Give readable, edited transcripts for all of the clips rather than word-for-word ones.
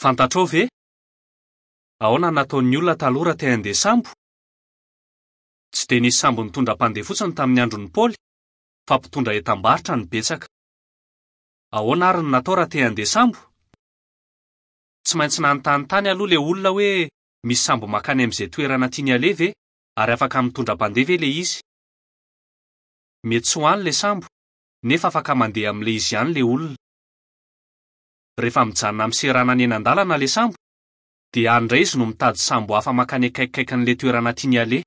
Fantatrao ve? Ahoana no nataon'ny olona taloha raha te handeha sambo? Tsy dia nisy sambo nitondra mpandeha fotsiny tamin'ny andron'i Paoly, fa mpitondra entam-barotra no betsaka. Ahoana àry no natao raha te handeha sambo? Tsy maintsy nanontany tany aloha ilay olona hoe misy sambo mankany amin'izay toerana tiany haleha ve ary afaka mitondra mpandeha ve ilay izy. Mety tsy ho any ilay sambo, nefa afaka mandeha amin'ilay izy ihany ilay olona. Rehefa mijanona amin'ny seranana eny an-dalana ilay sambo, dia any indray izy no mitady sambo hafa mankany akaikikaikin'ilay toerana tiany haleha.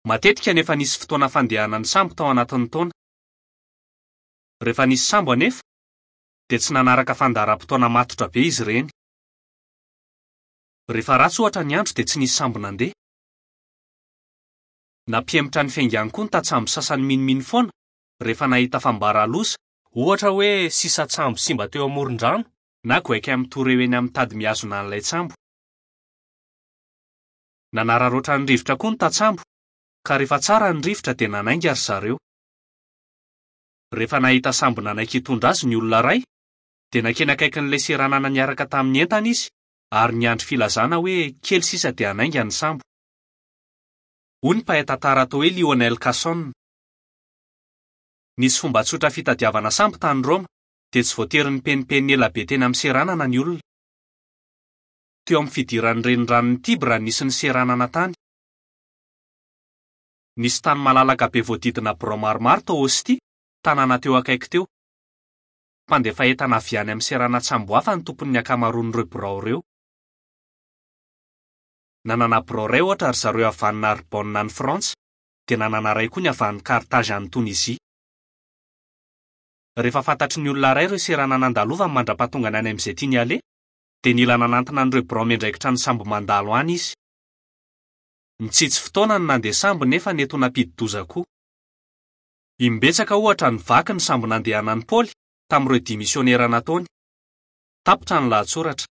Matetika no efa nisy fotoana fandehanan'ny sambo tao anatin'ny taona. Rehefa nisy sambo anefa, dia tsy nanaraka fandaharam-potoana matotra be izy ireny. Rehefa ratsy ohatra ny andro dia tsy nisy sambo nandeha. Nampihemotra ny fiaingany koa ny tantsambo sasany minomino foana rehefa nahita fambara loza, ohatra hoe sisan-tsambo simba teo amoron-drano na goaika mitoreo eny amin'ny tady mihazona an'ilay tsambo. Nanararaotra ny rivotra koa ny tantsambo, ka rehefa tsara ny rivotra dia nanainga ry zareo. Rehefa nahita sambo nanaiky hitondra azy ny olona iray, dia nankeny akaikin'ilay seranana niaraka tamin'ny entana izy ary niandry filazana hoe kely sisa dia hanainga ny sambo. Hoy ny mpahay tantara atao hoe Lionel Casson, Nisy fomba tsotra fitadiavana sambo tany Roma, dia tsy voatery nipenimpenina ela be teny amin'ny seranana ny olona. Teo amin'ny fidiran'ny reniranon'i Tibre nisy ny seranana tany. Nisy tany malalaka be voadidina birao maromaro tao Ostie, tanàna teo akaiky teo. Mpandefa entana avy any amin'ny seranan-tsambo hafa ny tompon'ny ankamaroan'ireo birao ireo. Nanana birao iray ohatra ry zareo avy any Narbonne any Frantsa, dia nanana iray koa ny avy any Carthage any Tonizia. Rehefa fantatry ny olona iray ireo seranana andalovany mandra-pahatongany any amin'izay tiany haleha, dia nila nanantona an'ireo birao miandraikitra ny sambo mandalo any izy. Nitsitsy fotoana ny nandeha sambo nefa nety ho nampidi-doza koa. Imbetsaka ohatra nivaky ny sambo nandehanan'i Paoly tamin'ireo dia misionera nataony. Tapitra ny lahatsoratra.